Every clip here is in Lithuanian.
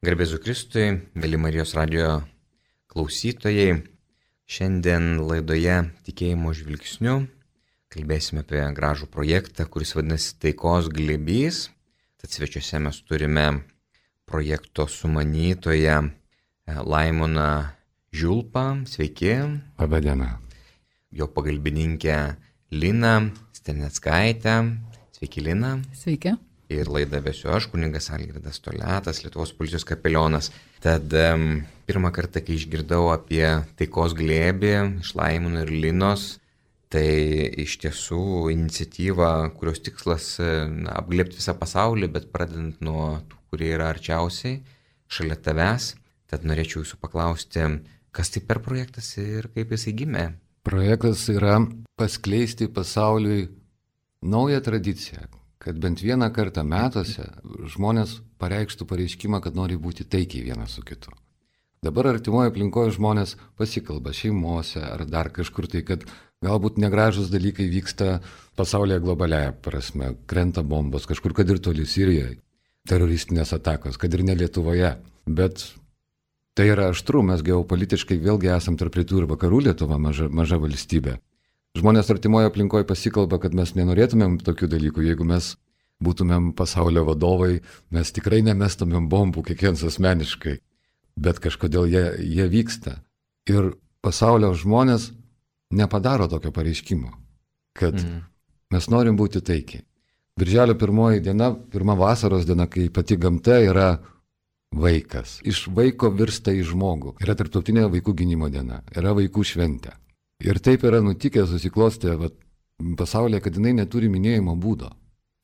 Garbėzu Kristui, mėly Marijos radijo klausytojai, šiandien laidoje Tikėjimo žvilgsniu kalbėsime apie gražų projektą, kuris vadinasi Taikos glėbys. Tad svečiuose mes turime projekto sumanytoją Laimoną Žiulpą. Sveiki. Labą dieną. Jo pagalbininkę Liną Steneckaitę. Sveiki, Lina. Sveiki. Ir laidą vesiu aš, kunigas Algirdas Toliatas, Lietuvos policijos kapelionas. Tad pirmą kartą, kai išgirdau apie Taikos glėbį iš Laimono ir Linos, tai iš tiesų iniciatyva, kurios tikslas apglėbti visą pasaulį, bet pradedant nuo tų, kurie yra arčiausiai, šalia tavęs. Tad norėčiau jūsų paklausti, kas tai per projektas ir kaip jisai gimė? Projektas yra paskleisti pasauliui naują tradiciją, kad bent vieną kartą metuose žmonės pareikštų pareiškimą, kad nori būti taikiai vienas su kitu. Dabar artimoje aplinkoje žmonės pasikalba šeimose ar dar kažkur tai, kad galbūt negražus dalykai vyksta pasaulyje globaliaja prasme, krenta bombos, kažkur kad ir toli Sirijoje, teroristinės atakos, kad ir ne Lietuvoje. Bet tai yra aštru, mes geopolitiškai vėlgi esam tarp rytų ir vakarų, Lietuva maža valstybė. Žmonės artimoje aplinkoje pasikalba, kad mes nenorėtumėm tokių dalykų. Jeigu mes būtumėm pasaulio vadovai, mes tikrai nemestumėm bombų kiekvienas asmeniškai. Bet kažkodėl jie vyksta. Ir pasaulio žmonės nepadaro tokio pareiškimo, kad mes norim būti taikiai. Birželio 1 diena, pirma vasaros diena, kai pati gamta yra vaikas. Iš vaiko virsta į žmogų. Yra tarptautinė vaikų gynimo diena, yra vaikų šventė. Ir taip yra nutikę, susiklostė pasaulyje, kad jinai neturi minėjimo būdo,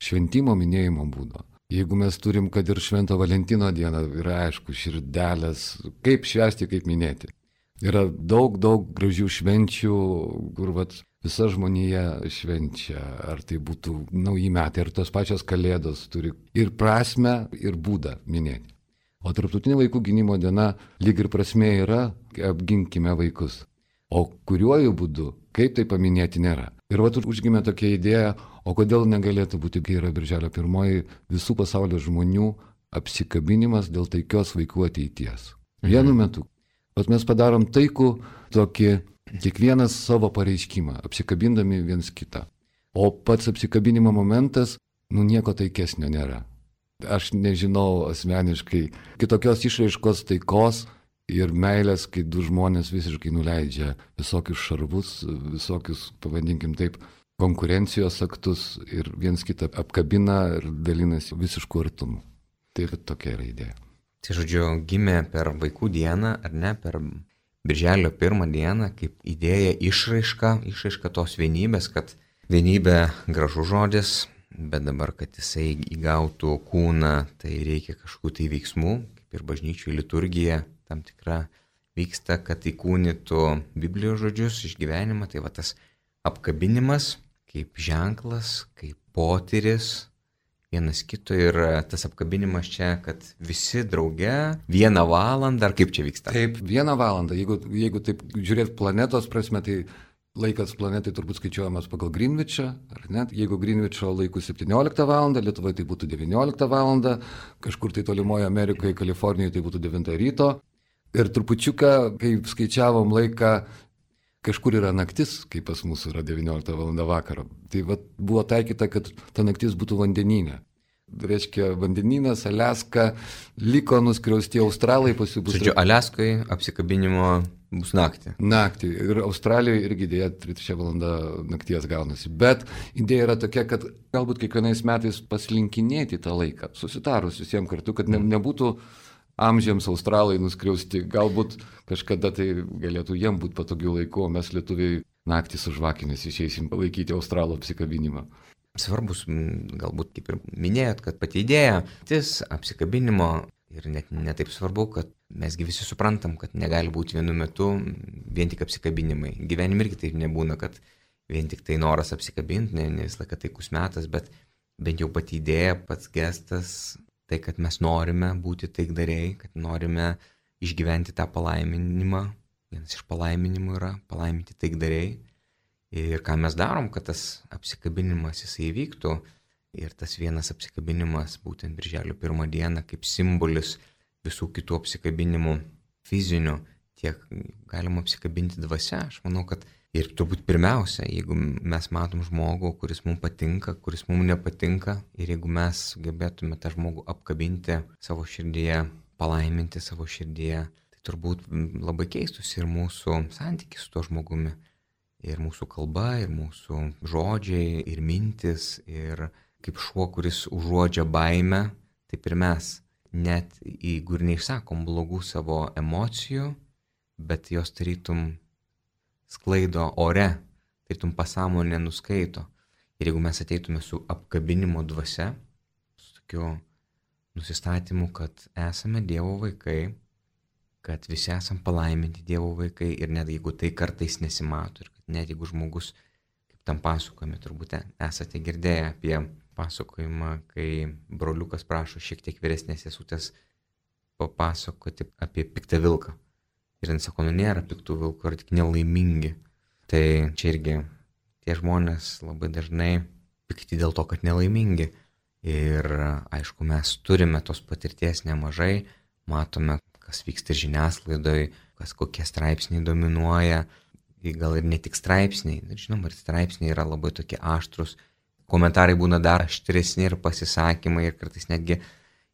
šventimo minėjimo būdo. Jeigu mes turim, kad ir Švento Valentino dieną, yra aišku, širdelės, kaip švęsti, kaip minėti. Yra daug gražių švenčių, kur visa žmonija švenčia, ar tai būtų nauji metai, ar tos pačios kalėdos turi ir prasmę, ir būdą minėti. O tarptautinė vaikų gynimo diena lyg ir prasmė yra, apginkime vaikus. O kuriuoju būdu, kaip tai paminėti nėra. Ir užgimė tokia idėja, o kodėl negalėtų būti, kai yra Birželio 1 visų pasaulio žmonių apsikabinimas dėl taikios vaikų ateities. Vienu metu. Mes padarom taikų tokį, kiekvienas savo pareiškimą, apsikabindami viens kitą. O pats apsikabinimo momentas, nieko taikesnio nėra. Aš nežinau asmeniškai kitokios išraiškos taikos ir meilės, kai du žmonės visiškai nuleidžia visokius šarvus, visokius, pavadinkim taip, konkurencijos aktus ir viens kitą apkabina ir dalinasi visišku artumu. Tai tokia yra idėja. Tai žodžiu, gimė per vaikų dieną, ar ne, per Birželio 1 dieną, kaip idėja išraiška tos vienybės, kad vienybė gražus žodis, bet dabar, kad jisai įgautų kūną, tai reikia kažkokių tai veiksmų, kaip ir bažnyčių liturgija tam tikra vyksta, kad įkūnytų Biblijos žodžius, išgyvenimą. Tai tas apkabinimas kaip ženklas, kaip potyris vienas kito ir tas apkabinimas čia, kad visi drauge 1 valandą, ar kaip čia vyksta? Taip, 1 valandą. Jeigu taip žiūrėt planetos prasme, tai laikas planetai turbūt skaičiuojamas pagal Greenwichą, ar ne? Jeigu Greenwicho laikų 17 valandą, Lietuvoje tai būtų 19 valandą, kažkur tai tolimoje Amerikoje, Kalifornijoje tai būtų 9 ryto. Ir trupučiuką, kai skaičiavom laiką, kažkur yra naktis, kai pas mus yra 19 val. Vakaro. Tai buvo taikyta, kad ta naktis būtų vandenyne. Reiškia, vandenynas, Aliaska, liko nuskriausti Australai, pasibus. Žodžiu, Aliaskoje apsikabinimo bus naktį. Naktį. Ir Australijoje irgi dėja 3 valanda nakties gaunasi. Bet idėja yra tokia, kad galbūt kiekvienais metais paslinkinėti tą laiką, susitarus visiems kartu, kad nebūtų amžiams Australai nuskriausti, galbūt kažkada tai galėtų jiem būti patogių laikų, o mes lietuviai naktį su žvakėmis išeisim palaikyti Australų apsikabinimą. Svarbus, galbūt kaip ir minėjot, kad pati idėja, apsikabinimo ir net netaip svarbu, kad mesgi visi suprantam, kad negali būti vienu metu vien tik apsikabinimai. Gyvenime irgi taip nebūna, kad vien tik tai noras apsikabinti, ne visą laiką taikus metas, bet bent jau pati idėja, pats gestas, tai, kad mes norime būti taikdariai, kad norime išgyventi tą palaiminimą. Vienas iš palaiminimų yra palaiminti taikdariai. Ir ką mes darom, kad tas apsikabinimas jisai įvyktų. Ir tas vienas apsikabinimas, būtent Birželio 1 dieną, kaip simbolis visų kitų apsikabinimų fizinių, tiek galima apsikabinti dvasia. Aš manau, kad ir turbūt pirmiausia, jeigu mes matom žmogų, kuris mums patinka, kuris mums nepatinka, ir jeigu mes sugebėtume tą žmogų apkabinti savo širdyje, palaiminti savo širdyje, tai turbūt labai keistųsi ir mūsų santykis su tuo žmogumi. Ir mūsų kalba, ir mūsų žodžiai, ir mintis, ir kaip šuo, kuris užuodžia baimę, taip ir mes. Net jeigu ir neišsakom blogų savo emocijų, bet jos tarytum sklaido ore, tarytum pasąmonė nuskaito. Ir jeigu mes ateitume su apkabinimo dvasia, su tokiu nusistatymu, kad esame Dievo vaikai, kad visi esame palaiminti Dievo vaikai, ir net jeigu tai kartais nesimato, ir kad net jeigu žmogus, kaip tam pasakojime, turbūt esate girdėję apie pasakojimą, kai broliukas prašo šiek tiek vyresnės sesutės papasakoti apie piktą vilką. Ir jis sako, nėra piktų vilkų, ar tik nelaimingi. Tai čia irgi tie žmonės labai dažnai pikti dėl to, kad nelaimingi. Ir aišku, mes turime tos patirties nemažai, matome, kas vyksta ir žiniasklaidoje, kokie straipsniai dominuoja, gal ir ne tik straipsniai, žinoma, ir straipsniai yra labai tokie aštrus, komentarai būna dar aštresni ir pasisakymai, ir kartais netgi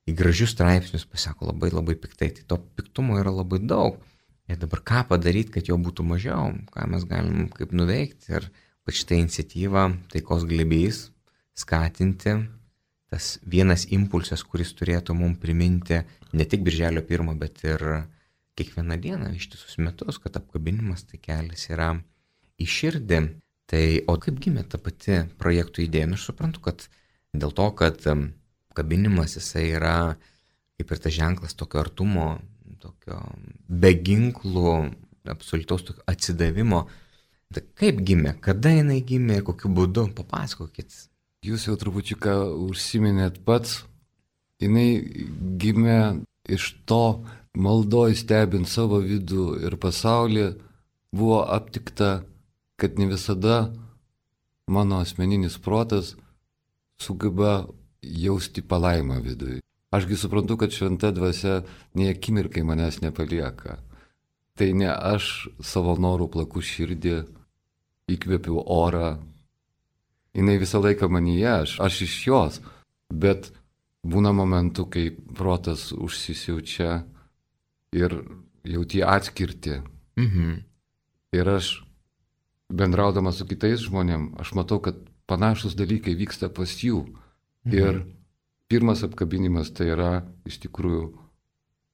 į gražius straipsnius pasako labai labai piktai, tai to piktumo yra labai daug. Ir dabar ką padaryti, kad jo būtų mažiau, ką mes galim kaip nuveikti, ir šitą iniciatyvą taikos glėbys skatinti, tas vienas impulsas, kuris turėtų mums priminti ne tik Birželio 1, bet ir kiekvieną dieną, ištisus metus, kad apkabinimas tai kelias yra į širdį. Tai, o kaip gimė ta pati projektų idėja? Aš suprantu, kad dėl to, kad apkabinimas jisai yra kaip ir tas ženklas tokio artumo, tokio beginklų, absoliutaus tokio atsidavimo. Tai kaip gimė, kada jinai gimė ir kokiu būdu? Papasakokit. Jūs jau trupučiuką užsiminėt pats. Jinai gimė iš to, maldoj stebint savo vidų ir pasaulį, buvo aptikta, kad ne visada mano asmeninis protas sugeba jausti palaimą vidui. Ašgi suprantu, kad šventa dvasia nei akimirkai manęs nepalieka. Tai ne aš savo norų plaku širdį, įkvėpiu orą. Jinai visą laiką manyje, aš iš jos. Bet būna momentų, kai protas užsisiaučia ir jauti atskirti. Ir aš, bendraudamas su kitais žmonėm, aš matau, kad panašus dalykai vyksta pas jų. Ir pirmas apkabinimas tai yra iš tikrųjų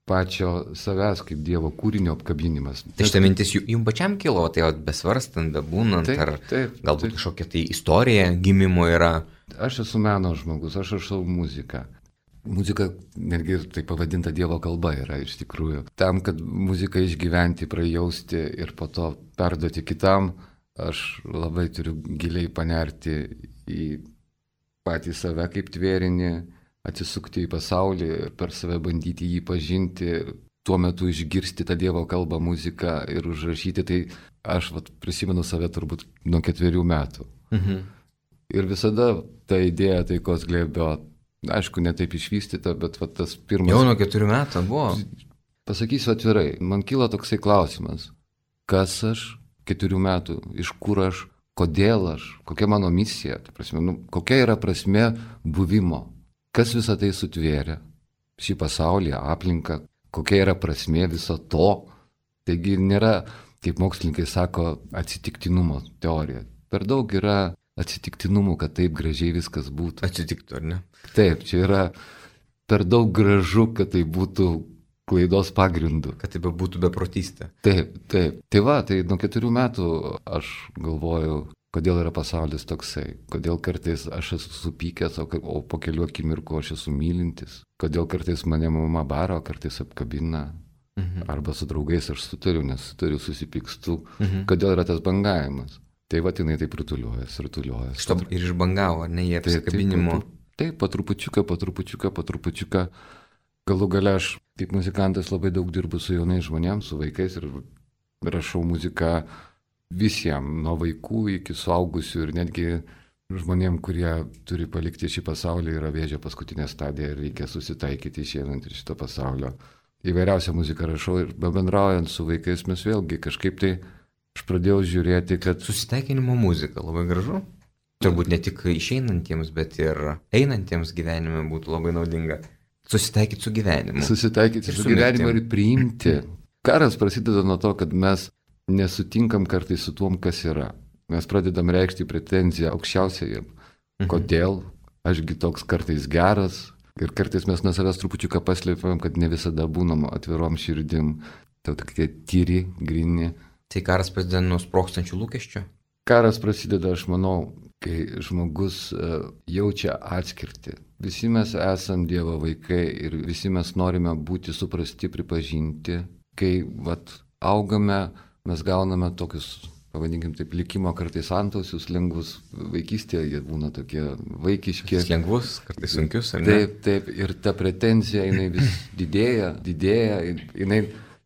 pačio savęs kaip Dievo kūrinio apkabinimas. Tai šitą mintis jums pačiam kilo, tai besvarstant, bebūnant, taip, galbūt kažkokia tai istorija gimimo yra? Aš esu meno žmogus, aš rašau muziką. Muzika netgi ir tai pavadinta Dievo kalba yra iš tikrųjų. Tam, kad muziką išgyventi, prajausti ir po to perduoti kitam, aš labai turiu giliai panerti į patį save kaip tvėrinį, atsisukti į pasaulį ir per save bandyti jį pažinti, tuo metu išgirsti tą Dievo kalbą, muziką ir užrašyti. Tai aš prisimenu save turbūt nuo 4 metų. Ir visada ta idėja taikos glėbio, aišku, ne taip išvystyta, bet tas pirmas... Jau nuo 4 metų buvo. Pasakysiu atvirai, man kyla toksai klausimas, kas aš 4 metų, iš kur aš, kodėl aš, kokia mano misija, tai prasme, kokia yra prasmė buvimo, kas visą tai sutvėrė, šį pasaulį, aplinką, kokia yra prasmė viso to. Taigi nėra, kaip mokslininkai sako, atsitiktinumo teorija. Per daug yra atsitiktinumų, kad taip gražiai viskas būtų. Atsitiktų, ar ne? Taip, čia yra per daug gražu, kad tai būtų klaidos pagrindu. Kad tai būtų beprotystė. Taip. Tai nuo 4 metų aš galvoju, kodėl yra pasaulis toksai, kodėl kartais aš esu supykęs, o po kelių akimirkų aš esu mylintis, kodėl kartais mane mama bara, o kartais apkabina, arba su draugais aš sutariu, nes sutariu, susipykstu, kodėl yra tas bangavimas. Tai jinai taip rutuliuojas. Šito ir išbangavo, ne jie apsikabinimo. Taip, po trupučiuką. Galų gale aš kaip muzikantas labai daug dirbu su jaunais žmonėms, su vaikais ir rašau muziką visiems, nuo vaikų iki suaugusių ir netgi žmonėm, kurie turi palikti šį pasaulį, yra vėžio paskutinė stadija ir reikia susitaikyti išeinant iš šito pasaulio. įvairiausią muziką rašau ir bendraujant su vaikais mes vėlgi kažkaip tai aš pradėjau žiūrėti, kad... Susitaikinimo muzika, labai gražu. Turbūt ne tik išeinantiems, bet ir einantiems gyvenime būtų labai naudinga. Susitaikyti su gyvenimu. Susitaikyti su gyvenimu ir priimti. Karas prasideda nuo to, kad mes nesutinkam kartais su tuom, kas yra. Mes pradedam reikšti pretenziją aukščiausiajam. Kodėl? Ašgi toks kartais geras. Ir kartais mes nuo savęs trupučiuką paslėpiam, kad ne visada būnam atvirom širdim. Tai tokie tyri, grini. Tai karas prasideda nuo sprogstančių lūkesčių? Karas prasideda, aš manau, kai žmogus jaučia atskirtį. Visi mes esam Dievo vaikai ir visi mes norime būti suprasti, pripažinti. Kai augame, mes gauname tokius, pavadinkim taip, likimo kartais antausius, lengvus vaikystėje, jie būna tokie vaikiški. Lengvus, kartais sunkius, ar ne? Taip, ir ta pretenzija, jinai vis didėja, jinai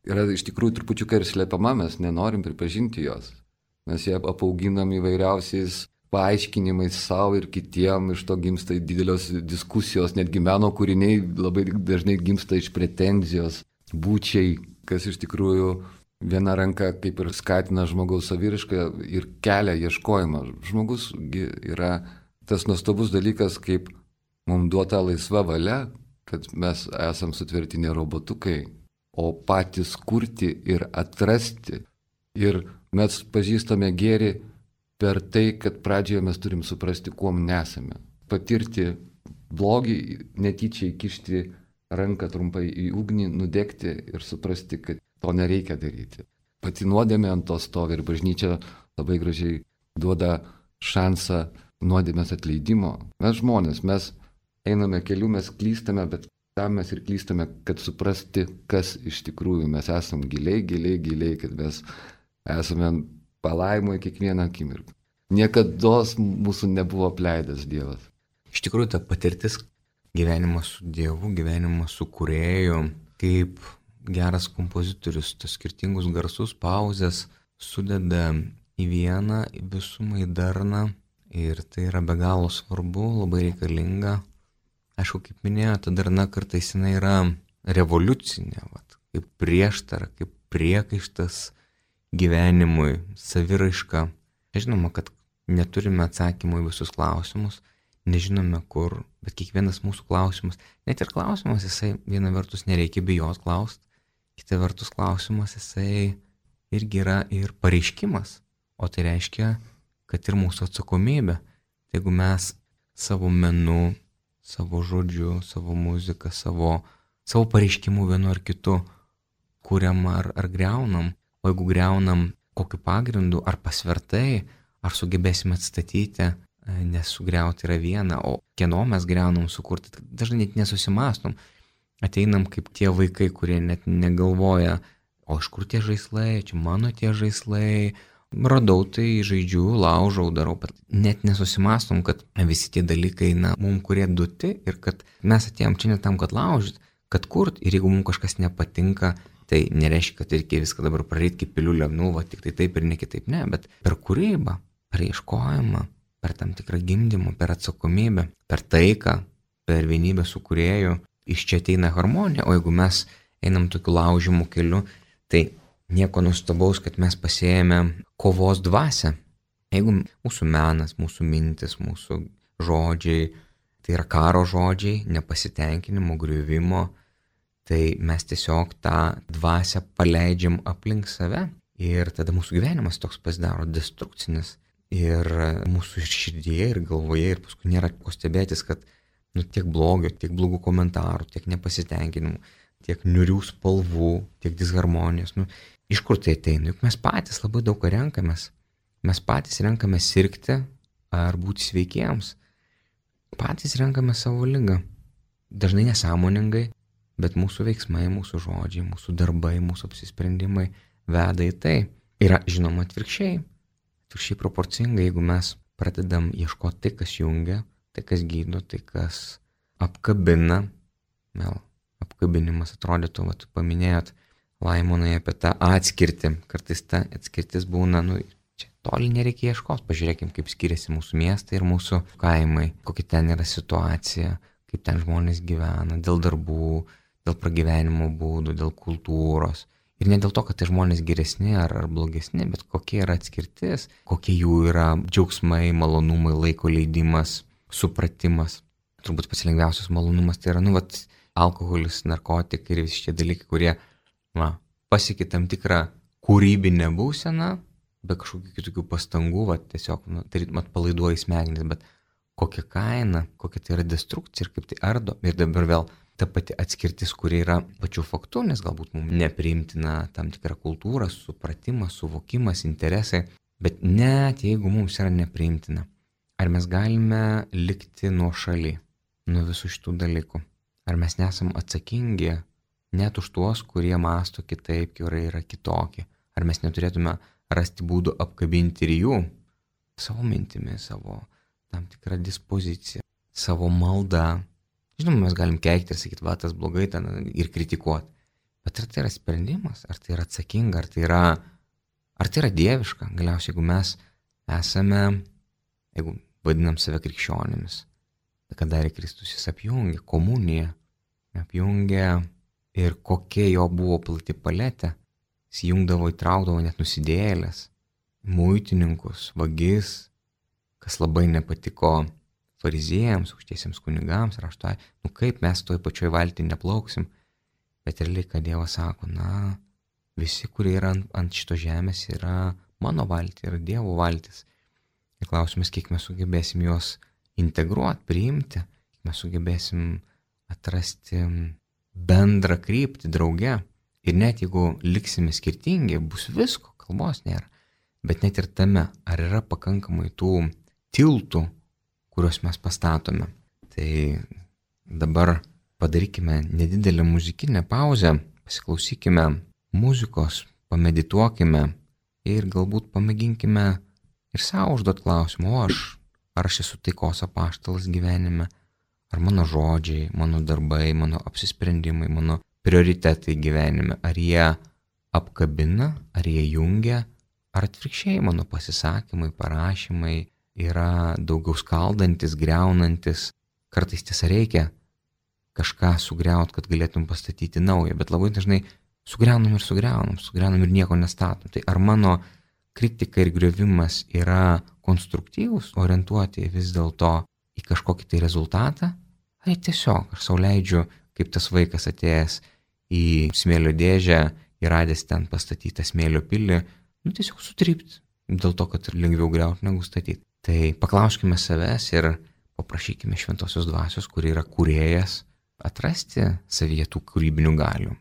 yra iš tikrųjų trupučiuką ir slepiama, mes nenorim pripažinti jos. Mes ją apauginam įvairiausiais paaiškinimais savo ir kitiem, iš to gimsta didelios diskusijos, netgi meno kūriniai labai dažnai gimsta iš pretenzijos, būčiai, kas iš tikrųjų viena ranka kaip ir skatina žmogaus saviraišką ir kelia ieškojimą. Žmogus yra tas nuostabus dalykas, kaip mums duota laisva valia, kad mes esam sutverti ne robotukai, o patys kurti ir atrasti. Ir mes pažįstame gėrį per tai, kad pradžioje mes turim suprasti, kuom nesame. Patirti blogį, netyčia įkišti ranką trumpai į ugnį, nudegti ir suprasti, kad to nereikia daryti. Pati nuodėmė ant to stovi ir bažnyčia labai gražiai duoda šansą nuodėmės atleidimo. Mes žmonės, mes einame keliu, mes klystame, bet tam mes ir klystame, kad suprasti, kas iš tikrųjų mes esam giliai, kad mes esame palaimoje kiekvieną akimirką. Niekados mūsų nebuvo apleidęs Dievas. Iš tikrųjų, ta patirtis gyvenimas su Dievu, gyvenimas su Kūrėju, kaip geras kompozitorius, tos skirtingus garsus, pauzes sudeda į vieną, į visumą, į darną. Ir tai yra be galo svarbu, labai reikalinga. Aišku, kaip minėjo, ta darna kartais jinai yra revoliucinė, kaip prieštara, kaip priekaištas gyvenimui, saviraiška. Žinoma, kad neturime atsakymų į visus klausimus, nežinome kur, bet kiekvienas mūsų klausimas, net ir klausimas, jisai viena vertus nereikia bijot klaust, kita vertus klausimas, jisai irgi yra ir pareiškimas, o tai reiškia, kad ir mūsų atsakomybė. Tai jeigu mes savo menu, savo žodžiu, savo muziką, savo pareiškimu vienu ar kitu kuriam ar greunam, o jeigu greunam kokiu pagrindu, ar pasvertai, ar sugebėsime atstatyti, nes sugriauti yra viena, o kieno mes greunam sukurti, dažnai net nesusimastom. Ateinam kaip tie vaikai, kurie net negalvoja, o iš kur tie žaislai, čia mano tie žaislai, radau tai, žaidžiu, laužau, darau, bet net nesusimastom, kad visi tie dalykai, mums kurie duoti ir kad mes atėjom čia ne tam, kad laužyti, kad kurt, ir jeigu mums kažkas nepatinka, tai nereiškia, kad reikia viską dabar praryti kaip piliulę, tik tai taip ir ne kitaip, ne, bet per kūrybą, per ieškojimą, per tam tikrą gimdymą, per atsakomybę, per taiką, per vienybę su Kūrėju, iš čia ateina harmonija, o jeigu mes einam tokiu laužimų keliu, tai nieko nuostabaus, kad mes pasėjame kovos dvasią. Jeigu mūsų menas, mūsų mintis, mūsų žodžiai, tai yra karo žodžiai, nepasitenkinimo, griuvimo, tai mes tiesiog tą dvasią paleidžiam aplink save ir tada mūsų gyvenimas toks pasidaro destrukcinis ir mūsų širdyje ir galvoje ir paskui nėra ko stebėtis, kad tiek blogio, tiek blogų komentarų, tiek nepasitenkinimų, tiek niurių spalvų, tiek disharmonijos. Iš kur tai ateina? Juk mes patys labai daug ką renkamės. Mes patys renkame sirgti ar būti sveikiems. Patys renkame savo ligą. Dažnai nesąmoningai, bet mūsų veiksmai, mūsų žodžiai, mūsų darbai, mūsų apsisprendimai veda į tai. Yra žinoma atvirkščiai. Atvirkščiai proporcingai, jeigu mes pradedam ieškoti tai, kas jungia, tai, kas gydo, tai, kas apkabina. Vėl apkabinimas atrodytų, paminėjot Laimonai apie tą atskirtį. Kartais ta atskirtis būna, čia toli nereikia ieškoti. Pažiūrėkim, kaip skiriasi mūsų miestai ir mūsų kaimai, kokia ten yra situacija, kaip ten žmonės gyvena, dėl darbų, dėl pragyvenimo būdų, dėl kultūros. Ir ne dėl to, kad tai žmonės geresni ar blogesni, bet kokia yra atskirtis, kokie jų yra džiaugsmai, malonumai, laiko leidimas, supratimas. Turbūt pats lengviausias malonumas tai yra, alkoholis, narkotikai ir visi šie dalykai, kurie, pasiekia tam tikrą kūrybinę būseną, be kažkokių kitokių pastangų, tiesiog, atpalaiduoja smegenis, bet kokia kaina, kokia tai yra destrukcija ir kaip tai ardo. Ir dabar vėl ta pati atskirtis, kuri yra pačių faktų, nes galbūt mums nepriimtina tam tikra kultūra, supratimas, suvokimas, interesai, bet net jeigu mums yra nepriimtina, ar mes galime likti nuošaly nuo visų šitų dalykų? Ar mes nesam atsakingi net už tuos, kurie mąsto kitaip, kurie yra kitokie? Ar mes neturėtume rasti būdų apkabinti ir jų savo mintimi, savo tam tikrą dispoziciją, savo maldą? Žinoma, mes galim keikti ir sakyti, tas blogai ten ir kritikuoti. Bet ar tai yra sprendimas, ar tai yra atsakinga, ar tai yra dieviška? Galiausiai, jeigu mes esame, jeigu vadinam save krikščionimis, ką darė Kristus, jis apjungė komuniją, apjungė ir kokia jo buvo plati paletė. Jis jungdavo, įtraukdavo net nusidėjėlės, muitininkus, vagis, kas labai nepatiko fariziejams, aukštiesiems kunigams, rašto, kaip mes toj pačioj valtį neplauksim. Bet realiai, ką Dievas sako, visi, kurie yra ant šito žemės, yra mano valtį, yra Dievo valtis. Ir klausimas, kiek mes sugebėsim juos integruoti, priimti, kiek mes sugebėsim atrasti bendrą kryptį drauge. Ir net jeigu liksime skirtingi, bus visko, kalbos nėra. Bet net ir tame, ar yra pakankamai tų tiltų, kuriuos mes pastatome. Tai dabar padarykime nedidelę muzikinę pauzę, pasiklausykime muzikos, pamedituokime ir galbūt pamėginkime ir savo užduoti klausimą, ar aš esu taikos apaštalas gyvenime, ar mano žodžiai, mano darbai, mano apsisprendimai, mano prioritetai gyvenime, ar jie apkabina, ar jie jungia, ar atvirkščiai mano pasisakymai, parašymai yra daugiau skaldantis, greunantis. Kartais tiesa reikia kažką sugriauti, kad galėtum pastatyti naują, bet labai dažnai sugriaunam ir nieko nestatom. Tai ar mano kritika ir griovimas yra konstruktyvus, orientuoti vis dėlto į kažkokį tai rezultatą, ar tiesiog aš sau leidžiu, kaip tas vaikas atėjęs į smėlio dėžę ir radęs ten pastatytą smėlio pilį, tiesiog sutrypti, dėl to, kad lengviau griauti negu statyti. Tai paklauskime savęs ir paprašykime Šventosios Dvasios, kuri yra kūrėjas, atrasti savyje tų kūrybinių galių.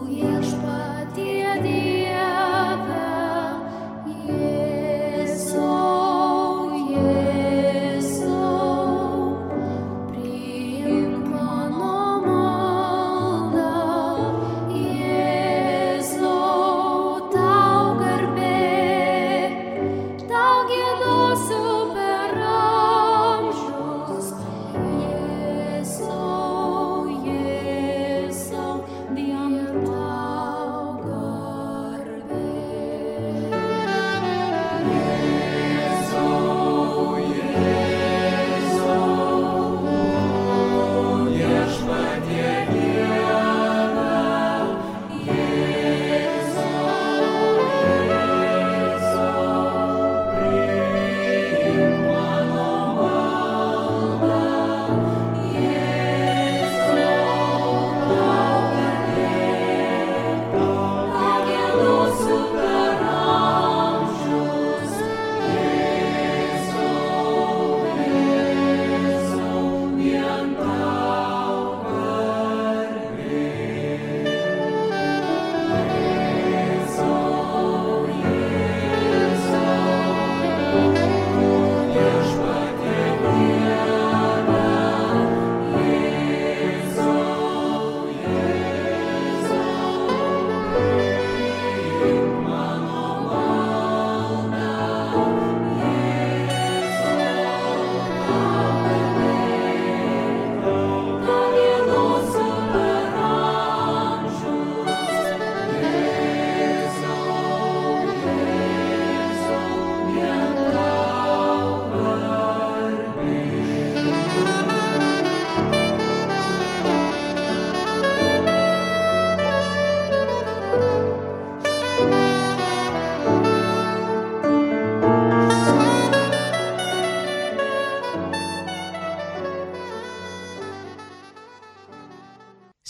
Viešpatie Dieve.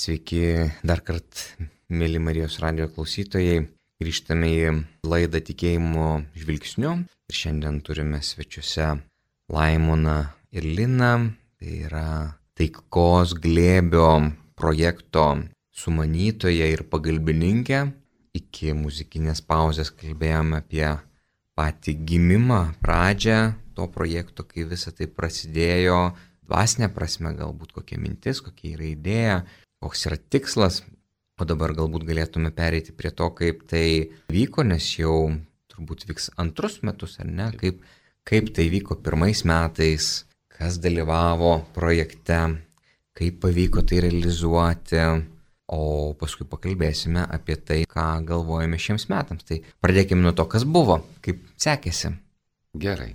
Sveiki dar kartą, mėly Marijos radijo klausytojai. Grįžtame į laidą Tikėjimo žvilgsniu. Ir šiandien turime svečiuose Laimoną ir Liną. Tai yra taikos glėbio projekto sumanytoja ir pagalbininkė. Iki muzikinės pauzės kalbėjome apie patį gimimą, pradžią to projekto, kai visa tai prasidėjo. Dvasinė prasme, galbūt kokia mintis, kokia yra idėja, koks yra tikslas. O dabar galbūt galėtume pereiti prie to, kaip tai vyko, nes jau turbūt vyks antrus metus, ar ne? Kaip tai vyko pirmais metais, kas dalyvavo projekte, kaip pavyko tai realizuoti, o paskui pakalbėsime apie tai, ką galvojame šiems metams. Tai pradėkime nuo to, kas buvo, kaip sekėsi. Gerai.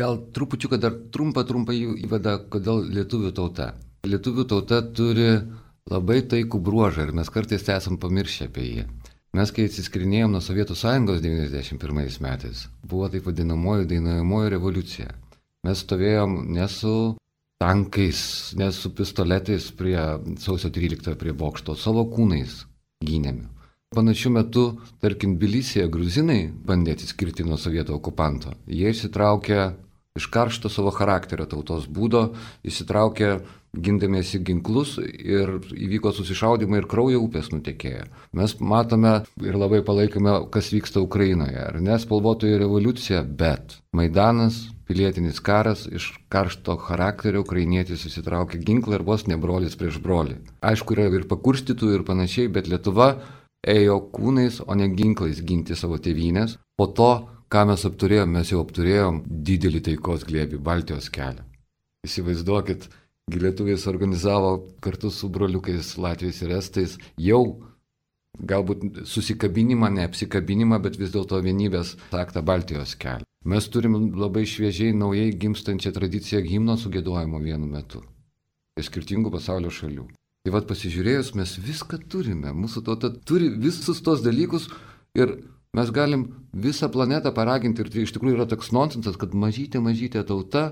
Gal trupučiuką dar trumpą įvadą, kodėl lietuvių tauta. Lietuvių tauta turi labai taikų bruožą ir mes kartais esam pamiršę apie jį. Mes, kai atsiskirinėjom nuo Sovietų Sąjungos 91 metais, buvo taip vadinamoji dainuojamoji revoliucija. Mes stovėjom ne su tankais, ne su pistoletais prie sausio 13 prie bokšto, savo kūnais gynėme. Panašiu metu, tarkim, Tbilisyje gruzinai bandė atsiskirti nuo sovietų okupanto. Jie išsitraukė iš karšto savo charakterio tautos būdo, išsitraukė gindamiesi ginklus ir įvyko susišaudimai ir kraujo upės nutekėjo. Mes matome ir labai palaikome, kas vyksta Ukrainoje, ar ne, spalvotoji revoliucija, bet Maidanas, pilietinis karas, iš karšto charakterio ukrainietis įsitraukė ginklą ir vos ne brolis prieš brolį. Aišku, yra ir pakurstytų ir panašiai, bet Lietuva ėjo kūnais, o ne ginklais ginti savo tėvynės. Po to, ką mes apturėjom, mes jau apturėjom didelį taikos glėbį, Baltijos kelią. Įsivaizduokit, lietuviai suorganizavo kartu su broliukais Latviais ir Estais jau galbūt susikabinimą, ne apsikabinimą, bet vis dėlto vienybės aktą Baltijos kelią. Mes turim labai šviežiai, naujai gimstančią tradiciją himno sugėdojimo vienu metu. Iš skirtingų pasaulio šalių. Tai vad pasižiūrėjus, mes viską turime, mūsų tauta turi visus tos dalykus ir mes galim visą planetą paraginti ir tai iš tikrųjų yra toks nonsensas, kad mažytė tauta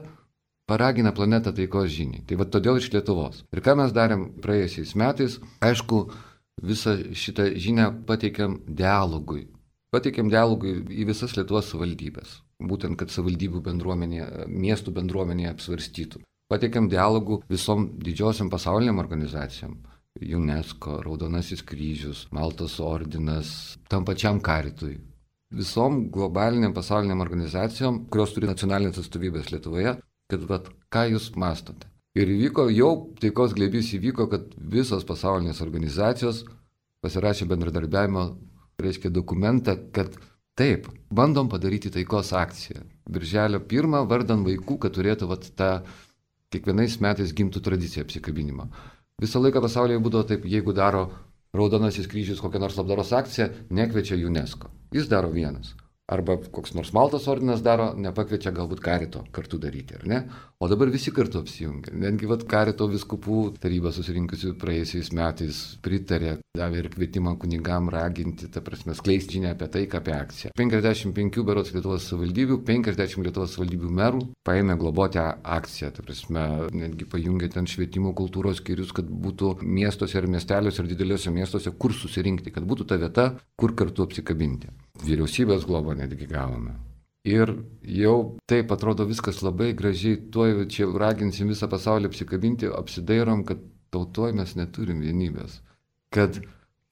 paragina planetą taikos žiniai. Tai vad todėl iš Lietuvos. Ir ką mes darėm praėjusiais metais, aišku, visą šitą žinią pateikėm dialogui. Pateikėm dialogui į visas Lietuvos savivaldybės, būtent kad savivaldybių bendruomenė, miestų bendruomenė apsvarstytų. Pateikėm dialogų visom didžiosiam pasauliniam organizacijom. UNESCO, Raudonasis kryžius, Maltos ordinas, tam pačiam karitui. Visom globaliniam pasauliniam organizacijom, kurios turi nacionalinės atstovybės Lietuvoje, kad ką jūs mastote. Ir įvyko, jau taikos glėbys įvyko, kad visos pasaulinės organizacijos pasirašė bendradarbiavimo, reiškia dokumentą, kad taip, bandom padaryti taikos akciją. Birželio 1 vardan vaikų, kad turėtų tą kiekvienais metais gimtų tradicija apsikabinimo. Visą laiką pasaulyje būdavo taip, jeigu daro Raudonasis kryžius kokią nors labdaros akciją, nekviečia UNESCO. Jis daro vienas. Arba koks nors Maltos ordinas daro, nepakviečia galbūt karito kartu daryti, ar ne? O dabar visi kartu apsijungia. Netgi karito vyskupų taryba susirinkusi praėjusiais metais pritarė, davė ir kvietimą kunigam raginti, ta prasme, skleisti žinią apie tai, apie akciją. 55 berods Lietuvos savivaldybių, 50 Lietuvos savivaldybių merų paėmė globoti akciją, ta prasme, netgi pajungė ten švietimo kultūros skyrius, kad būtų miestuose ir miesteliuose ir dideliuose miestuose, kur susirinkti, kad būtų ta vieta, kur kartu apsikabinti. Vyriausybės globą netgi gavome. Ir jau taip atrodo viskas labai gražiai, tuoj čia raginsim visą pasaulį apsikabinti, apsidairom, kad tautoj mes neturim vienybės. Kad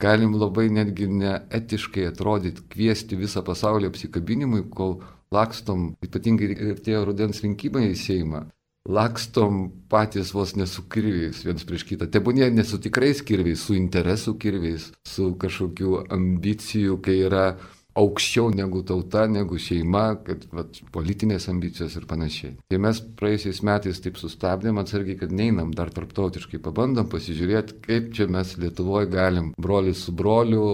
galim labai netgi neetiškai atrodyti, kviesti visą pasaulį apsikabinimui, kol lakstom, ypatingai artėjo rudens rinkimai į Seimą, lakstom patys vos ne su kirviais viens prieš kitą. Tebūnie ne su tikrais kirviais, su interesų kirviais, su kažkokiu ambicijų, kai yra aukščiau negu tauta, negu šeima, kad politinės ambicijos ir panašiai. Tai mes praėjusiais metais taip sustabdėm atsargiai, kad neinam dar tarptautiškai, pabandom pasižiūrėti, kaip čia mes Lietuvoje galim brolius su broliu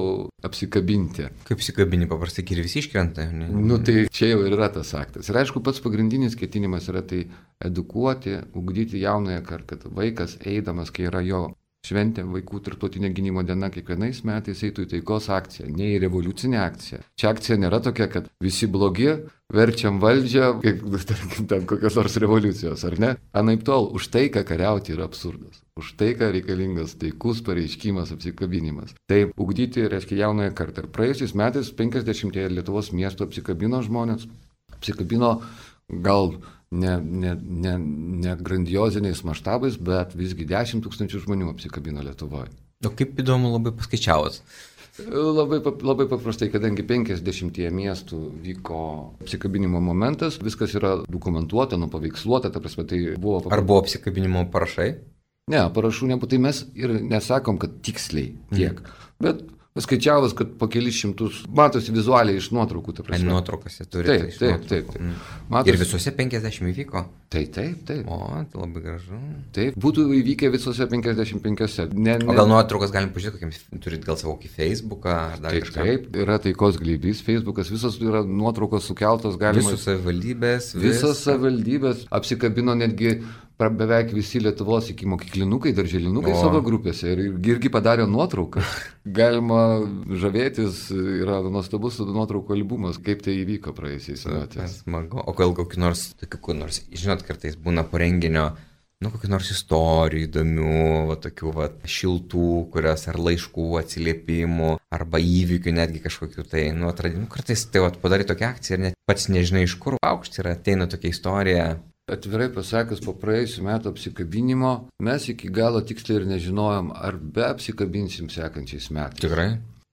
apsikabinti. Kaip apsikabini, paprastai kirvis iškrenta. Tai čia jau yra tas aktas. Ir aišku, pats pagrindinis ketinimas yra tai edukuoti, ugdyti jaunąją kartą, kad vaikas eidamas, kai yra jo šventė vaikų tarptautinė gynimo diena kiekvienais metais eitų į taikos akciją, ne į revoliucinę akciją. Čia akcija nėra tokia, kad visi blogi, verčiam valdžią, kaip, tarkim, ten kokios nors revoliucijos, ar ne? Anaip tol, už taiką kariauti yra absurdas. Už taiką reikalingas taikus pareiškimas, apsikabinimas. Taip, ugdyti reiškia jaunąją kartą. Ir praėjusiais metais 50 Lietuvos miestų apsikabino žmonės. Apsikabino gal ne grandioziniais maštabais, bet visgi 10 000 žmonių apsikabino Lietuvoje. O kaip įdomu, labai paskaičiavot. Labai paprastai, kadangi 50 miestų vyko apsikabinimo momentas, viskas yra dokumentuota, nupaveiksluota, ta prasme, tai buvo... Ar buvo apsikabinimo parašai? Ne, parašų nebuvo, tai mes ir nesakom, kad tiksliai tiek, bet paskaičiavus, kad po kelis šimtus, matosi vizualiai iš nuotraukų, ta prasme. Nuotraukose turite. Taip. Matosi... Ir visose 50 įvyko? Taip. O, tai labai gražu. Taip, būtų įvykę visose 55. O gal nuotraukas galim pažiūrėti, kokiam turit gal savo Facebooką ar dar kažką? Taip, yra taikos glėbys, Facebookas, visos yra nuotraukos sukeltos, galima... Visos savivaldybės. Visas savivaldybės apsikabino netgi beveik visi Lietuvos iki mokyklinukai, darželinukai savo grupėse ir irgi padarė nuotrauką. Galima žavėtis, yra nuostabus nuotraukų albumas, kaip tai įvyko praėjusiais metais. Smagu. O gal kokiu nors, žinot, kartais būna po renginio, kokių nors istorijų įdomių, tokių šiltų, kurios ar laiškų, atsiliepimų, arba įvykių netgi kažkokių tai, atradimų. Kartais tai padarai tokią akciją ir net pats nežinai iš kur aukšti ir ateina tokia istorija. Atvirai pasakius, po praėjusių metų apsikabinimo mes iki galo tiksliai ir nežinojom, ar be apsikabinsim sekančiais metais. Tikrai?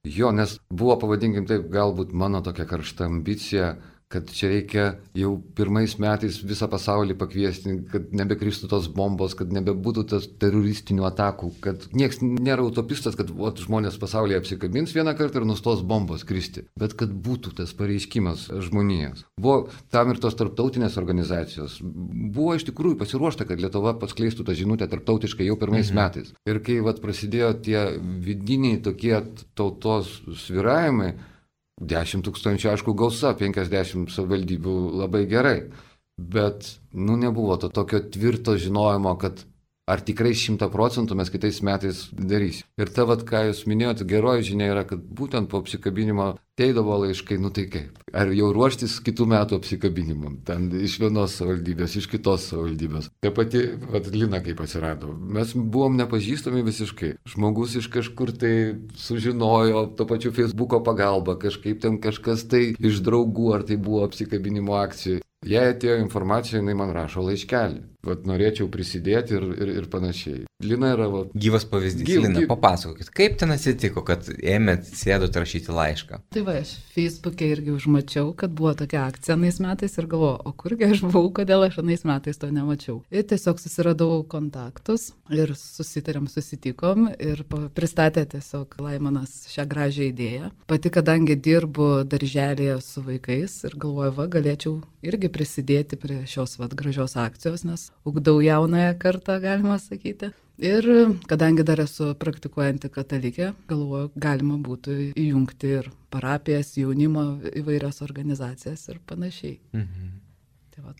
Jo, nes buvo, pavadinkim taip, galbūt mano tokia karšta ambicija, kad čia reikia jau pirmais metais visą pasaulį pakviesti, kad nebekristų tos bombos, kad nebebūtų tos teroristinių atakų, kad nieks nėra utopistas, kad žmonės pasaulyje apsikabins vieną kartą ir nustos bombos kristi, bet kad būtų tas pareiškimas žmonijos. Buvo tam ir tos tarptautinės organizacijos. Buvo iš tikrųjų pasiruošta, kad Lietuva paskleistų tą žinutę tarptautiškai jau pirmais metais. Ir kai prasidėjo tie vidiniai tokie tautos svyravimai, 10 000, aišku, gausa, 50 savivaldybių labai gerai, bet, nebuvo to tokio tvirto žinojimo, kad ar tikrai 100% mes kitais metais darysim. Ir ta, ką jūs minėjote, geroji žinia yra, kad būtent po apsikabinimo ateidavo laiškai, tai kaip? Ar jau ruoštis kitų metų apsikabinimam? Ten iš vienos savivaldybės, iš kitos savivaldybės. Ta pati, Lina kaip atsirado. Mes buvom nepažįstami visiškai. Žmogus iš kažkur tai sužinojo, to pačiu Facebooko pagalba, kažkaip ten kažkas tai iš draugų, ar tai buvo apsikabinimo akcijai. Jei atėjo informacija, jinai man rašo laiškelį. Norėčiau prisidėti ir panašiai. Lina yra... Gyvas pavyzdys. Lina, papasakokit, kaip ten atsitiko, kad ėmėt sėdot rašyti laišką? Tai aš Facebook'e irgi užmačiau, kad buvo tokia akcija anais metais ir galvoju, o kurgi aš buvau, kodėl aš anais metais to nemačiau. Ir tiesiog susiradau kontaktus ir susitikom ir pristatė tiesiog Laimonas šią gražią idėją. Pati, kadangi dirbu darželėje su vaikais ir galvoju, galėčiau irgi prisidėti prie šios gražios akcijos, nes ugdau jaunąją kartą, galima sakyti. Ir kadangi dar esu praktikuojanti katalikė, galvoju, galima būtų įjungti ir parapijas, jaunimo įvairias organizacijas ir panašiai.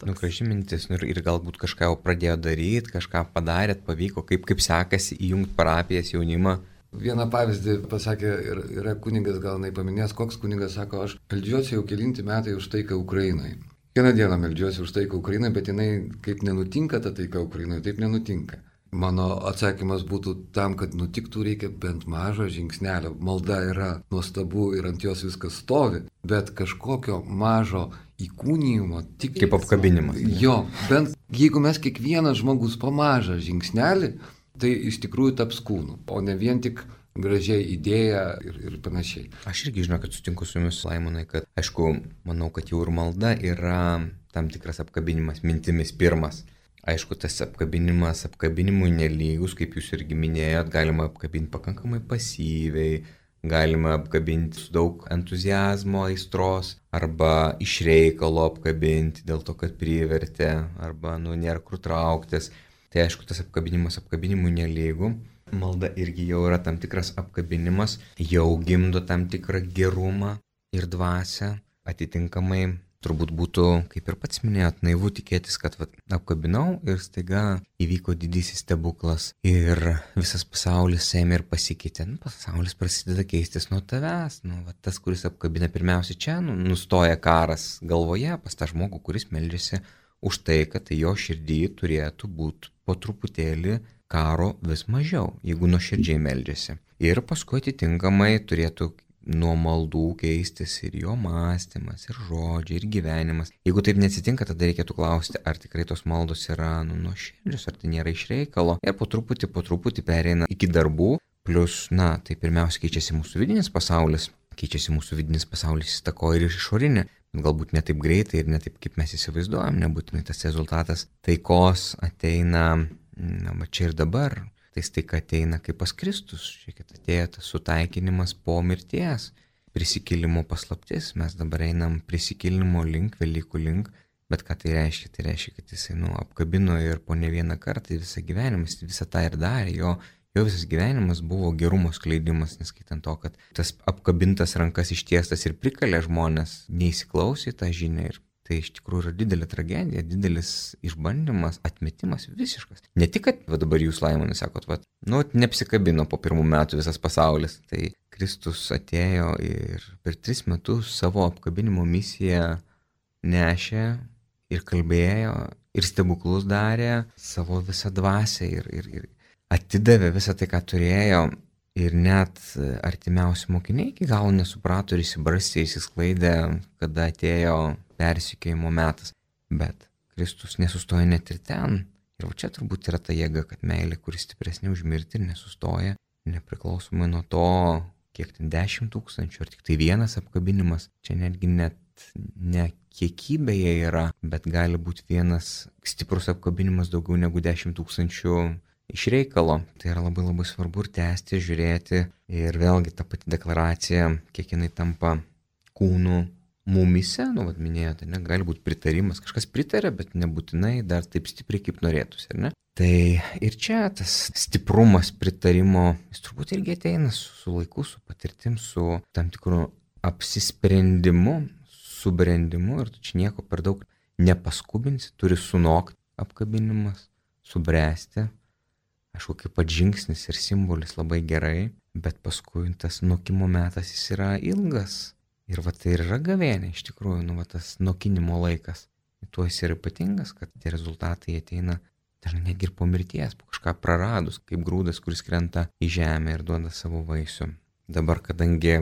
Graži mintis, ir galbūt kažką jau pradėjo daryti, kažką padarėt, pavyko, kaip sekasi įjungti parapijas, jaunimą. Vieną pavyzdį pasakė, yra kunigas, gal nepaminės, koks kunigas sako, aš meldžiuosi jau kelinti metai už taiką Ukrainai. Kiekvieną dieną meldžiuosi už taiką Ukrainai, bet jinai, kaip nenutinka ta taika Ukrainai, taip nenutinka. Mano atsakymas būtų tam, kad nutiktų, reikia bent mažo žingsnelio. Malda yra nuostabu ir ant jos viskas stovi, bet kažkokio mažo įkūnijimo tik... Kaip apkabinimas. Jo, bent jeigu mes kiekvienas žmogus po mažą žingsnelį, tai iš tikrųjų taps kūnu, o ne vien tik gražiai idėja ir panašiai. Aš irgi žinau, kad sutinku su jumis, Laimonai, kad, aišku, manau, kad jau ir malda yra tam tikras apkabinimas mintimis pirmas. Aišku, tas apkabinimas apkabinimui nelygus, kaip jūs irgi minėjot, galima apkabinti pakankamai pasyviai, galima apkabinti su daug entuzijazmo, aistros, arba iš reikalo apkabinti dėl to, kad privertė, arba nėra kur trauktis. Tai aišku, tas apkabinimas apkabinimui nelygu. Malda irgi jau yra tam tikras apkabinimas, jau gimdo tam tikrą gerumą ir dvasią. Atitinkamai turbūt būtų, kaip ir pats minėjot, naivu tikėtis, kad apkabinau ir staiga įvyko didysis stebuklas ir visas pasaulis ėmė ir pasikeitė. Pasaulis prasideda keistis nuo tavęs. Tas, kuris apkabina pirmiausia čia, nustoja karas galvoje pas tą žmogų, kuris meldžiasi už tai, kad jo širdį turėtų būti po truputėlį karo vis mažiau, jeigu nuoširdžiai meldžiasi. Ir paskui atitinkamai turėtų nuo maldų keistis ir jo mąstymas, ir žodžiai, ir gyvenimas. Jeigu taip neatsitinka, tada reikėtų klausti, ar tikrai tos maldos yra nuoširdžios, ar tai nėra iš reikalo. Ir po truputį pereina iki darbų, plus, tai pirmiausia keičiasi mūsų vidinis pasaulis. Keičiasi mūsų vidinis pasaulis, įtakoja ir išorinė. Galbūt ne taip greitai ir ne taip, kaip mes įsivaizduojam, nebūtinai tas rezultatas taikos ateina, čia ir dabar. Tai taika ateina kaip pas Kristus, šiek atėjo tas sutaikinimas po mirties, prisikėlimo paslaptis, mes dabar einam prisikėlimo link, Velykų link, bet ką tai reiškia? Tai reiškia, kad jisai apkabino ir po ne vieną kartą visą gyvenimą, jis visą tą ir darė, jo visas gyvenimas buvo gerumo skleidimas, neskaitant to, kad tas apkabintas rankas ištiestas ir prikalė žmonės, neįsiklausė tą žinią ir tai iš tikrųjų yra didelė tragedija, didelis išbandymas, atmetimas visiškas. Ne tik, kad dabar jūs, Laimonai, sakot, neapsikabino po 1 metų visas pasaulis. Tai Kristus atėjo ir per 3 metus savo apkabinimo misiją nešė ir kalbėjo ir stebuklus darė savo visą dvasią ir atidavė visą tai, ką turėjo. Ir net artimiausi mokiniai iki galo nesuprato ir įsibarstė, įsisklaidė, kada atėjo persikėjimo metas. Bet Kristus nesustoja net ir ten. Ir čia turbūt yra ta jėga, kad meilė, kuris stipresnė už mirtį ir nesustoja, nepriklausomai nuo to, kiek ten 10 000, ar tik tai vienas apkabinimas. Čia netgi net ne kiekybėje yra, bet gali būti vienas stiprus apkabinimas daugiau negu 10 000 iš reikalo. Tai yra labai labai svarbu ir tęsti, žiūrėti. Ir vėlgi ta pati deklaracija, kiek jinai tampa kūnu mumise, minėjote, gali būti pritarimas. Kažkas pritarė, bet nebūtinai dar taip stipriai, kaip norėtųsi, ar ne? Tai ir čia tas stiprumas pritarimo, jis turbūt irgi ateina su laiku, su patirtim, su tam tikru apsisprendimu, subrendimu ir tu čia nieko per daug nepaskubinsi, turi sunokti apkabinimas, subręsti. Aišku, kaip pat žingsnis ir simbolis labai gerai, bet paskui tas nokimo metas jis yra ilgas. Ir tai ir yra gavėnė, iš tikrųjų, tas nokinimo laikas. Tuo jis yra ypatingas, kad tie rezultatai ateina dažnai netgi ir po mirties, po kažką praradus, kaip grūdas, kuris krenta į žemę ir duoda savo vaisių. Dabar, kadangi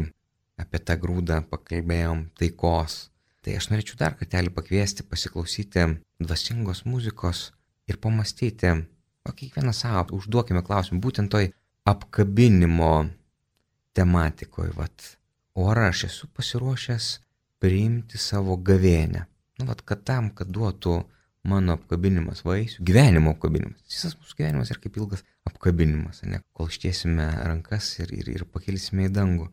apie tą grūdą pakalbėjom taikos, tai aš norėčiau dar kartelį pakviesti pasiklausyti dvasingos muzikos ir pamastyti, kiekvieną savo užduokime klausimą, būtent toj apkabinimo tematikoje, o ar aš esu pasiruošęs priimti savo gavėnę? Kad tam, kad duotų mano apkabinimas vaisių, gyvenimo apkabinimas. Visas mūsų gyvenimas yra kaip ilgas apkabinimas, kol ištiesime rankas ir pakelsime į dangų,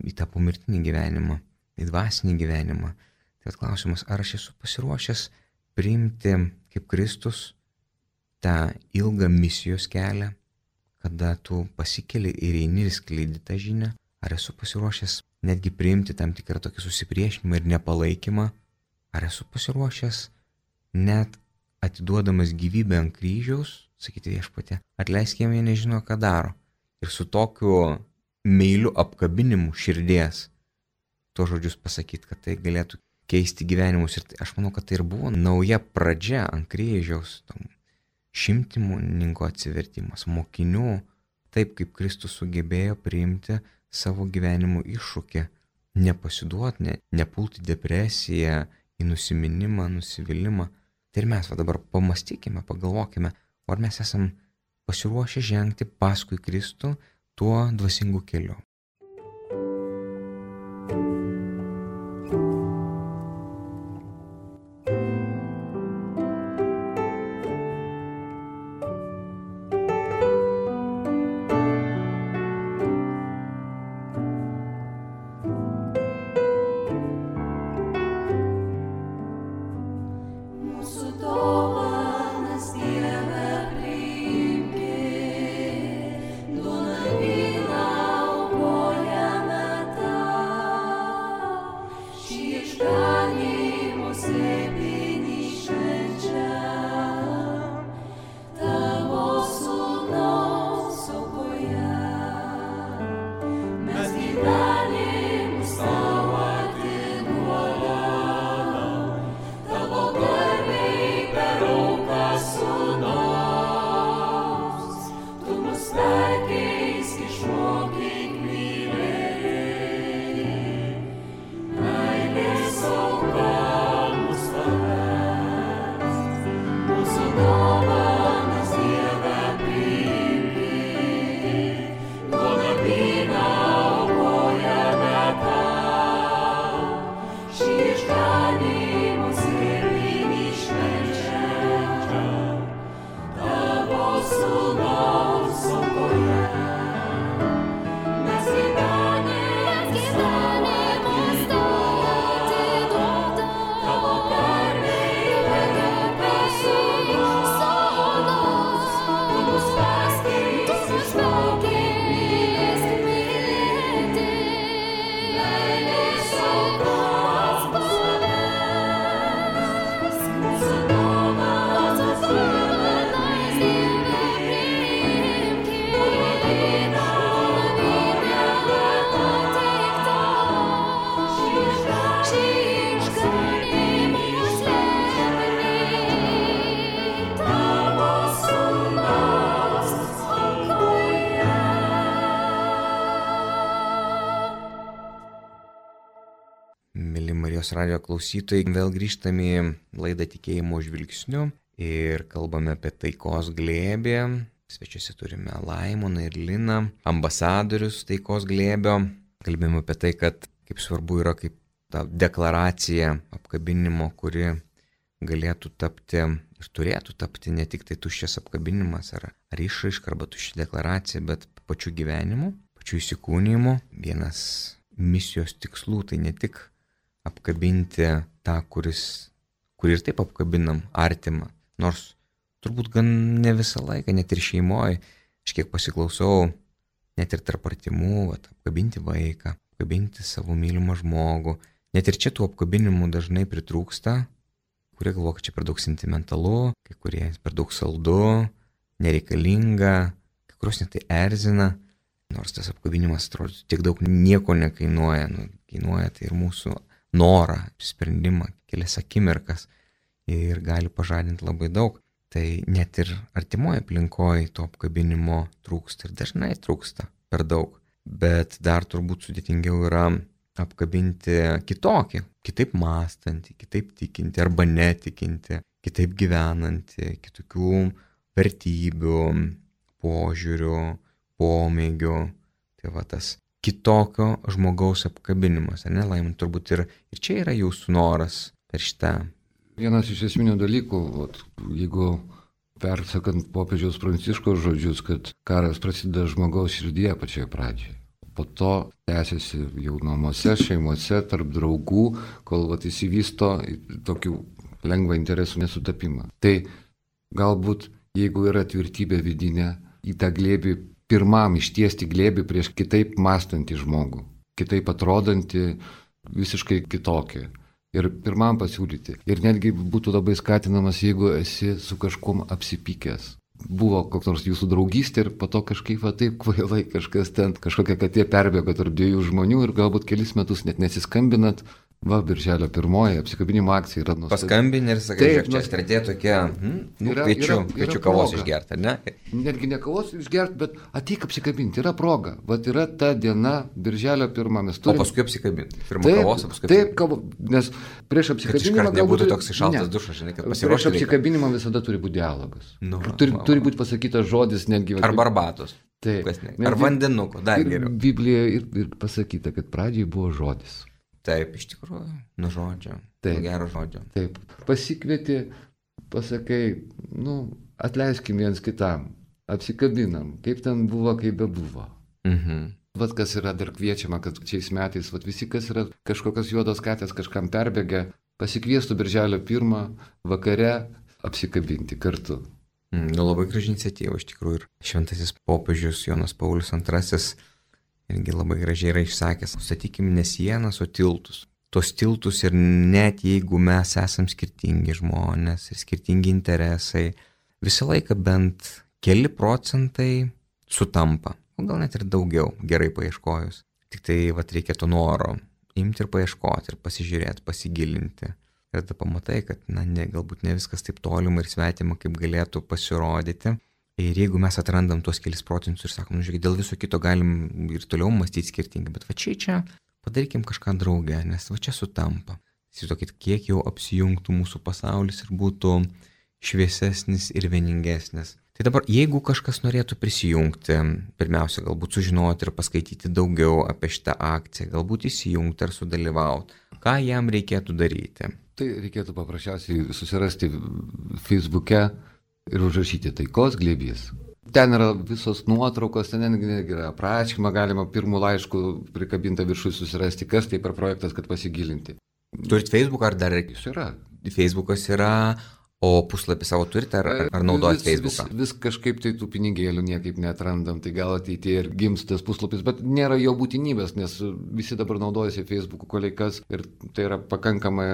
į tą pomirtinį gyvenimą, į dvasinį gyvenimą. Tai klausimas, ar aš esu pasiruošęs priimti kaip Kristus tą ilgą misijos kelią, kada tu pasikeli ir eini ir skleidi tą žinią? Ar esu pasiruošęs netgi priimti tam tikrą tokį susipriešinimą ir nepalaikymą? Ar esu pasiruošęs net atiduodamas gyvybę ant kryžiaus, sakyti Viešpatie, atleisk jiem, jie nežino, ką daro. Ir su tokiu meiliu apkabinimu širdies tuos žodžius pasakyti, kad tai galėtų keisti gyvenimus. Ir aš manau, kad tai ir buvo nauja pradžia ant kryžiaus, šimtininko atsivertimas, mokinių, taip kaip Kristus sugebėjo priimti savo gyvenimo iššūkį, nepasiduoti, nepulti depresiją, į nusiminimą, nusivylimą. Tai ir mes dabar pamastykime, pagalvokime, ar mes esam pasiruošę žengti paskui Kristų tuo dvasingu keliu. Pani Mėly Marijos radijo klausytojai, vėl grįžtame į laidą Tikėjimo žvilgsniu ir kalbame apie taikos glėbį. Svečiuose turime Laimoną ir Liną, ambasadorius taikos glėbio. Kalbėjome apie tai, kad kaip svarbu yra kaip ta deklaracija apkabinimo, kuri galėtų tapti ir turėtų tapti ne tik tai tuščias apkabinimas ar išraiška arba tuščia deklaracija, bet pačiu gyvenimu, pačiu įsikūnijimu. Vienas misijos tikslų tai ne tik apkabinti tą, kurį ir taip apkabinam, artimą. Nors turbūt gan ne visą laiką, net ir šeimoje, aš kiek pasiklausau, net ir tarp artimų, apkabinti vaiką, apkabinti savo mylimą žmogų. Net ir čia tų apkabinimų dažnai pritrūksta, kurie galvoja, kad čia per daug sentimentalu, kai kurie per daug saldu, nereikalinga, kai kurios net tai erzina. Nors tas apkabinimas atrodo tiek daug nieko nekainuoja, kainuoja tai ir mūsų norą, sprendimą, kelias akimirkas ir gali pažadinti labai daug. Tai net ir artimoje aplinkoje to apkabinimo trūksta ir dažnai trūksta per daug. Bet dar turbūt sudėtingiau yra apkabinti kitokį, kitaip mąstantį, kitaip tikinti arba netikinti, kitaip gyvenantį, kitokių vertybių, požiūrių, pomėgių. Tai va tas kitokio žmogaus apkabinimas, ne, Laimon, turbūt ir čia yra jūsų noras per šitą. Vienas iš esminių dalykų, jeigu persakant popiežiaus Pranciškaus žodžius, kad karas prasideda žmogaus širdyje pačioje pradžioje. Po to tęsiasi jau namuose, šeimose, tarp draugų, kol įsivysto tokių lengvą interesų nesutapimą. Tai galbūt, jeigu yra tvirtybė vidinė, į tą glėbį pirmam ištiesti glėbį prieš kitaip mąstantį žmogų, kitaip atrodantį, visiškai kitokį. Ir pirmam pasiūlyti. Ir netgi būtų labai skatinamas, jeigu esi su kažkuom apsipykęs. Buvo koks nors jūsų draugystė ir po to kažkaip taip kvailai kažkas ten, kažkokia katė perbėgo tarp dviejų žmonių ir galbūt kelis metus net nesiskambinat. Birželio 1 apsikabinimo akcija yra nuostabi. Paskambini ir sakai, žiūrėk, čia strategija tokia, kviečiu kavos išgerti, ne? Netgi ne kavos išgerti, bet ateik apsikabinti, yra proga. Vat yra ta diena, Birželio 1 mes turime. O paskui apsikabinti. Pirma kavos, paskui apsikabinti. Taip, nes prieš apsikabinimą nebūtų toks šaltas dušas, žinai, kad pasiruošti. Prieš apsikabinimą visada turi būti dialogas. Turi būti pasakytas žodis netgi. Arba arbatos. Ar vandenuko, dar geriau. Biblijoje ir pasakyta, kad pradžiai buvo žodis. Taip, iš tikrųjų, nuo žodžio, nuo gero žodžio. Taip, pasikvieti, pasakai, atleiskim viens kitam, apsikabinam, kaip ten buvo, kaip bebuvo. Vat kas yra dar kviečiama, kad šiais metais, visi, kas yra kažkokios juodos katės kažkam perbėgę, pasikviestų Birželio 1 vakare apsikabinti kartu. Labai graži iniciatyva, iš tikrųjų, ir šventasis popiežius Jonas Paulius II irgi labai gražiai yra išsakęs, statykim ne sienas, o tiltus. Tos tiltus ir net jeigu mes esam skirtingi žmonės ir skirtingi interesai, visą laiką bent keli procentai sutampa, o gal net ir daugiau, gerai paieškojus. Tik tai reikia to noro imti ir paieškoti ir pasižiūrėti, pasigilinti. Ir tada pamatai, kad galbūt ne viskas taip tolima ir svetima, kaip galėtų pasirodyti. Ir jeigu mes atrandam tuos kelis procentus ir sakom, žiūrėk, dėl viso kito galim ir toliau mąstyti skirtingai, bet čia padarykim kažką draugę, nes čia sutampa. Įsivaizduokit, kiek jau apsijungtų mūsų pasaulis ir būtų šviesesnis ir vieningesnis. Tai dabar, jeigu kažkas norėtų prisijungti, pirmiausia, galbūt sužinoti ir paskaityti daugiau apie šitą akciją, galbūt įsijungti ar sudalyvauti, ką jam reikėtų daryti? Tai reikėtų paprasčiausiai susirasti Facebook'e ir užrašyti taikos glėbys. Ten yra visos nuotraukos, ten yra aprašymą, galima pirmų laiškų prikabintą viršui susirasti, kas tai per projektas, kad pasigilinti. Turit Facebook ar dar? Jis yra. Facebookas yra, o puslapį savo turite ar naudojat Facebooką? Vis kažkaip tai tų pinigėlių niekaip neatrandam, tai gal ateityje ir gims tas puslapis, bet nėra jo būtinybės, nes visi dabar naudojasi Facebook'u koleikas ir tai yra pakankama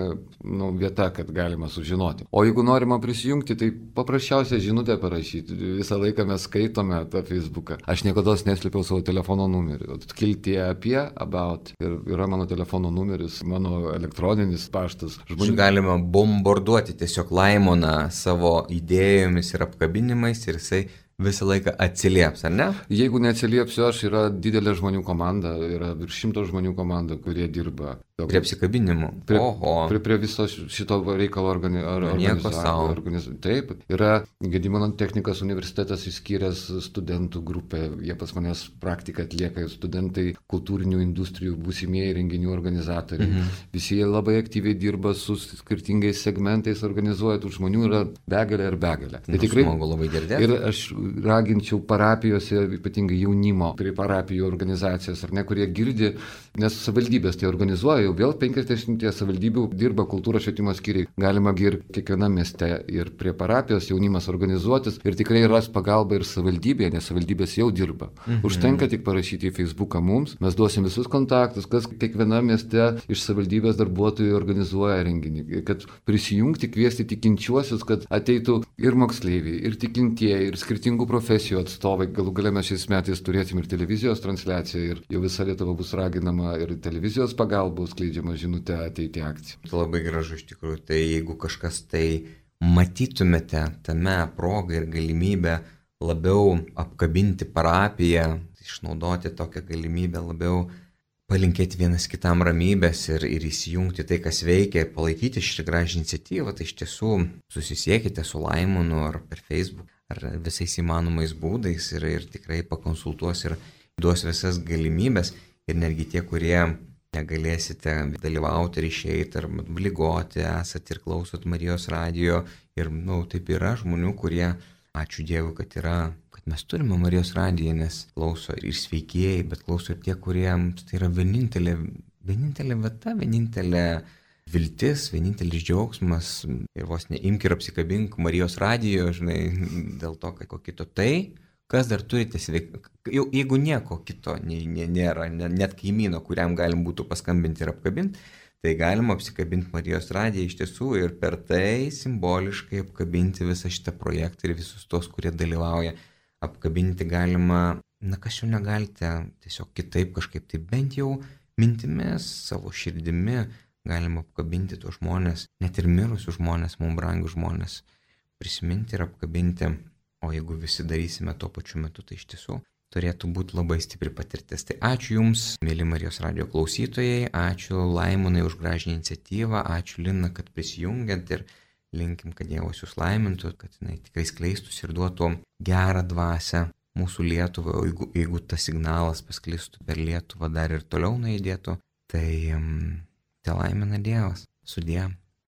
vieta, kad galima sužinoti. O jeigu norima prisijungti, tai paprasčiausia žinutę parašyti. Visą laiką mes skaitome tą Facebooką. Aš niekada neslėpiau savo telefono numerį. Kiltie apie, about. Ir yra mano telefono numeris, mano elektroninis paštas. Galima bombarduoti tiesiog Laimoną savo idėjomis ir apkabinimais ir jisai visą laiką atsilieps, ar ne? Jeigu neatsiliepsiu aš, yra didelė žmonių komanda, yra virš 100 žmonių komanda, kurie dirba. Prie apsikabinimų. Prie viso šito reikalo Taip, yra Gedimino technikos universitetas išskyręs studentų grupę, jie pas manęs praktiką atlieka, studentai kultūrinių industrijų, būsimieji renginių organizatoriai. Visi jie labai aktyviai dirba su skirtingais segmentais, organizuoja, tų žmonių yra begalė ir begalė. Tai tikrai smagu labai girdėti. Ir aš raginčiau parapijose, ypatingai jaunimo prie parapijų organizacijas, ar ne, kurie girdi, nes savivaldybės tai organizuoja, jau vėl 50 savivaldybių dirba kultūros švietimo skyriai. Galima ir kiekvienam mieste ir prie parapijos jaunimas organizuotis ir tikrai ras pagalbą ir savivaldybėje, nes savivaldybės jau dirba. Užtenka tik parašyti į Facebooką mums, mes duosim visus kontaktus, kas kiekvienam mieste iš savivaldybės darbuotojų organizuoja renginį, kad prisijungti, kviesti tikinčiuosius, kad ateitų ir moksleiviai, ir tikintieji, ir skirtingų profesijų atstovai. Galų gale mes šiais metais turėsim ir televizijos transliaciją ir jau visa Lietuva bus raginama ir televizijos pagalba skleidžiama žinutė ateiti akciją. Tai labai gražu iš tikrųjų. Tai jeigu kažkas tai matytumėte tame progą ir galimybę labiau apkabinti parapiją, išnaudoti tokią galimybę, labiau palinkėti vienas kitam ramybės ir įsijungti tai, kas veikia, ir palaikyti šitą gražią iniciatyvą, tai iš tiesų susisiekite su Laimonu ar per Facebook ar visais įmanomais būdais ir tikrai pakonsultuos ir duos visas galimybės. Ir netgi tie, kurie negalėsite dalyvauti ir išeiti, ar ligoti, esate ir klausot Marijos radijo. Ir, taip yra žmonių, kurie, ačiū Dievui, kad mes turime Marijos radiją, nes klauso ir sveikieji, bet klauso ir tie, kuriems tai yra vienintelė vieta, vienintelė viltis, vienintelis džiaugsmas. Ir vos neimk ir apsikabink Marijos radijo, žinai, dėl to, kad ko kito tai. Kas dar turite jeigu nieko kito nėra, net kaimyno, kuriam galim būtų paskambinti ir apkabinti, tai galima apsikabinti Marijos radiją iš tiesų ir per tai simboliškai apkabinti visą šitą projektą ir visus tos, kurie dalyvauja. Apkabinti galima, kas jau negalite, tiesiog kitaip kažkaip, tai bent jau mintimis, savo širdimi galima apkabinti tuos žmonės, net ir mirusius žmonės, mums brangius žmonės, prisiminti ir apkabinti. O jeigu visi darysime tuo pačiu metu, tai iš tiesų turėtų būti labai stipri patirtis. Tai ačiū Jums, mėly Marijos radijo klausytojai, ačiū Laimonai už gražią iniciatyvą, ačiū Lina, kad prisijungiant ir linkim, kad Dievas Jūs laimintų, kad jinai tikrai skleistųsi ir duotų gerą dvasią mūsų Lietuvą, o jeigu tas signalas pasklistų per Lietuvą dar ir toliau nuėdėtų, tai laimina Dievas. Sudie.